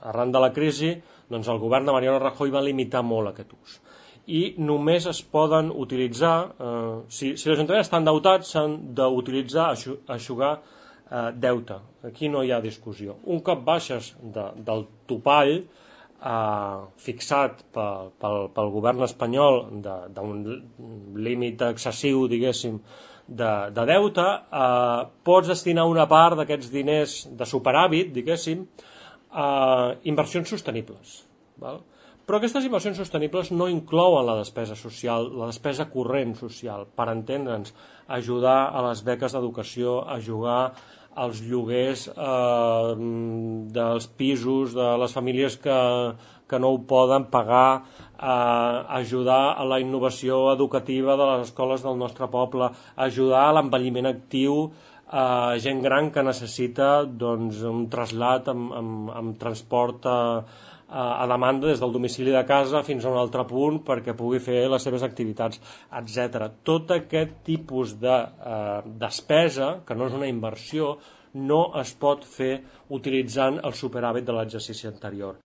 arran de la crisi, doncs el govern de Mariano Rajoy va limitar molt aquest ús. I només es poden utilitzar, si l'Ajuntament està endeutat, s'han d'utilitzar, eixugar deute. Aquí no hi ha discussió. Un cop baixes del topall fixat pel govern espanyol d'un límit excessiu, diguéssim, de deute, pots destinar una part d'aquests diners de superàvit, diguéssim, a inversions sostenibles. Però aquestes inversions sostenibles no inclouen la despesa social, la despesa corrent social, per entendre'ns, ajudar a les beques d'educació, ajudar als lloguers dels pisos de les famílies que no ho poden pagar, ajudar a la innovació educativa de les escoles del nostre poble, ajudar a l'envelliment actiu, gent gran que necessita un trasllat amb transport a demanda des del domicili de casa fins a un altre punt perquè pugui fer les seves activitats, etc. Tot aquest tipus de despesa, que no és una inversió, no es pot fer utilitzant el superàvit de l'exercici anterior.